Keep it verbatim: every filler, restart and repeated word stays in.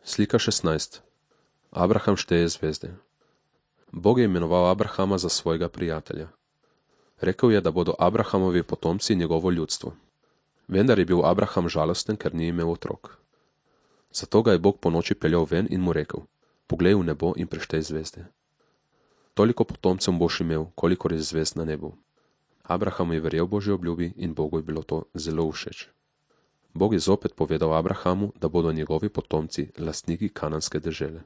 Slika šestnajst. Abraham šteje zvezde. Bog je imenoval Abrahama za svojega prijatelja. Rekel je, da bodo Abrahamovi potomci njegovo ljudstvo. Vendar je bil Abraham žalosten, ker ni imel otrok. Zato ga je Bog ponoči peljal ven in mu rekel: Poglej v nebo in preštej zvezde. Toliko potomcev boš imel, kolikor je zvezd na nebu. Abraham je verjel Božji obljubi in Bogu je bilo to zelo všeč. Bog je zopet povedal Abrahamu, da bodo njegovi potomci lastniki kananske dežele.